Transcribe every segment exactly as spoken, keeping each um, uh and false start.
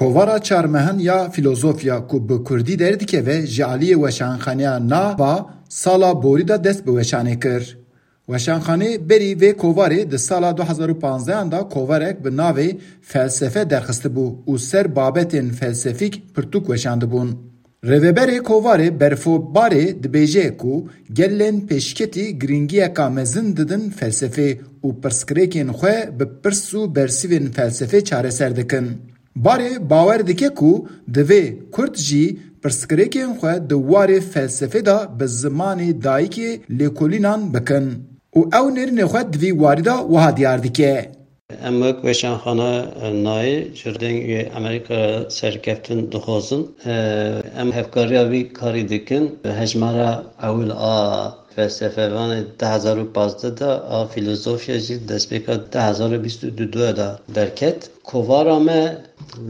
Kovara çarmehin ya Filozofya ku bi kurdî derdikeve ji aliyê Weşanxaneya Nava sala borî de dest bi weşanê kir. Weşanxanê berî vê kovarê di sala du hezar û panzdehan de kovarek bi navê Felsefe derxistibû û ser babetên felsefîk pirtûk weşandibûn. Rêveberê kovarê Berfo Barê dibêje ku gelên pêşketî giringiyeka mezin didin felsefê û pirsgirêkên xwe bi pirs û bersivên felsefê çareser dikin. Barê bawer dike ku divê Kurd jî pirsgirêkên xwe di warê felsefê de bi zimanê dayikê lêkolînan bikin û ew nêrînê xwe di vî warî de wiha diyar dike. Em wek Weşanxane Nayê ji Dengê Amerîka re serkeftin dixwazin. Em hevkariya vî karî dikin. Hejmara ewil a felsefe, vanê du hezar û pazdeh de, a filozofya jî destpêka du hezar û bîst û du de derket. Kovara me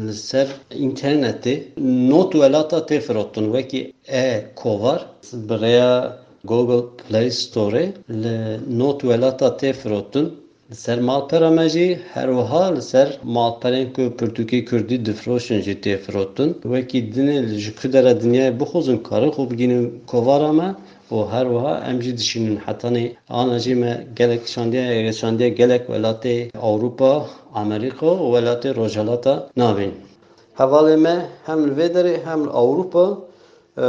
li ser înternetê not welata tê firotin, wekî e-kovar bi rêya Google Play Store li not welata tê firotin. Li ser malpera me jî her wiha li ser malperên ku pirtûkê kurdî difiroşin jî tê firotin. Wekî dinê ji ku dera dinyayê bixwazin karin xwe bigihînin kovara me û her wiha em jî dişînin. Hetanî ana jî me gelek şandiye, şandiye gelek welatê Ewropa, Amerîka û welatê Rojhilata Navîn. Hevalê me hem li vê derê hem li Ewropa, e,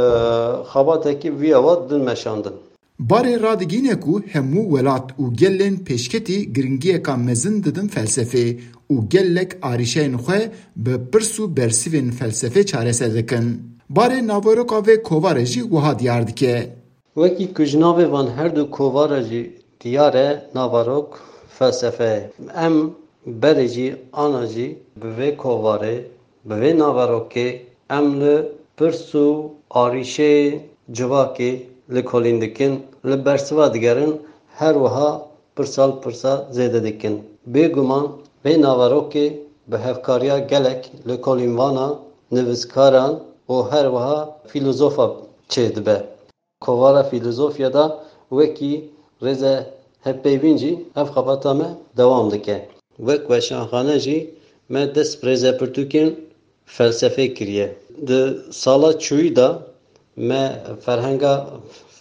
xebatekî vî awa din meşandin. Barê radigîne ku hemû welat û gelên pêşketî giringiyeka mezin didin felsefê û gelek arîşeyên xwe bi pirs û bersivên felsefê çareser dikin. Barê naveroka vê kovare jî wiha diyar dike. Wekî ku ji navê van her du kovara jî diyar e, naverok felsefe ye. Em berê jî ana jî bi vê kovarê, bi vê naverokê em li pirs û arîşeyê civakê lêkolîn dikin, li bersiva digerin, her wiha pirsa li pirsa zêde dikin. Bêguman vê naverokê bi hevkariya gelek lêkolînvana, nivîskaran û her wiha fîlozofa çêdibe. Kovara Fîlozofya de wekî rêze hevpeyvîn jî ev xebata me dewam dike. Wek weşanxane jî me dest bi rêzepirtûkên felsefê kiriye. Di sala çûyî de me ferhenga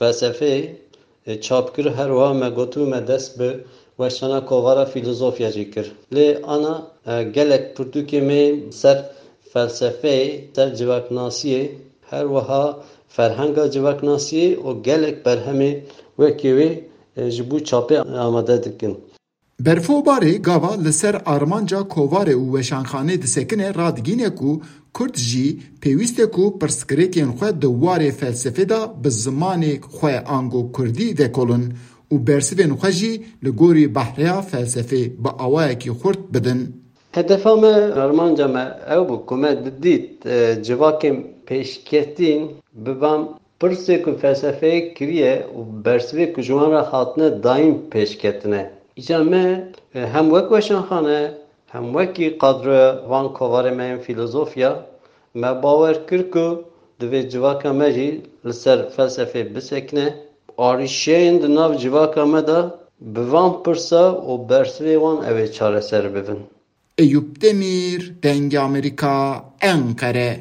felsefeyê çap kir, her wiha me gotibû me dest bi weşana Kovara Fîlozofya jî kir. Lê ana, e, gelek pirtûkê me ser felsefeyê, ser civaknasiyê, her wiha ferhenga civaknasiyê û gelek berhemê wekî wê, e, ji bo çapê amade dikin. Berfo Barê gava li ser armanca kovarê û weşanxanê disekine radigîne ku Kurd jî pêwîst e ku pirsgirêkên xwe di warê felsefê de bi zimanê xwe ango kurdî vekolin û bersivên xwe jî li gorî behreya felsefê bi awayekî xurt bidin. Hedefa me, armanca me ew bû ku me didît, e, civakên pêşketîn bi van pirsê ku felsefeyê kiriye û bersivê ku ji wan re hatine dayîn pêş ketine. Îcar me, e, hem wek weşanxane, hem wekî kadroya van kovarê me yên fîlozofya, me bawer kir ku divê civaka me jî li ser felsefê bisekine, arîşeyên di nav civaka me de bi van pirsa û bersivê wan ew ê çareser bibin. Eyûp Demîr, Dengê Amerîka, Enqere.